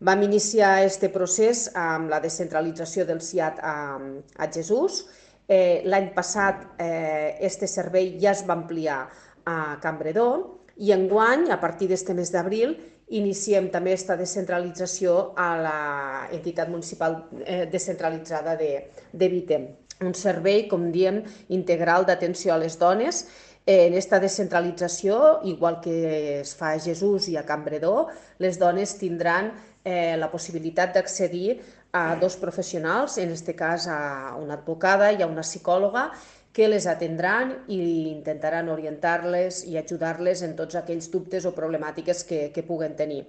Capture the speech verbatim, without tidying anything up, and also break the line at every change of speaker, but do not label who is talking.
Vam iniciar aquest procés amb la descentralització del S I A T a, a Jesús. Eh, L'any passat aquest eh, servei ja es va ampliar a Campredó i enguany, a partir d'este mes d'abril, iniciem també aquesta descentralització a l'entitat municipal eh, descentralitzada de, de Vitem. Un servei, com diem, integral d'atenció a les dones. En aquesta descentralització, igual que es fa a Jesús i a Campredó, les dones tindran eh, la possibilitat d'accedir a dos professionals, en aquest cas a una advocada i a una psicòloga, que les atendran i intentaran orientar-les i ajudar-les en tots aquells dubtes o problemàtiques que, que puguen tenir.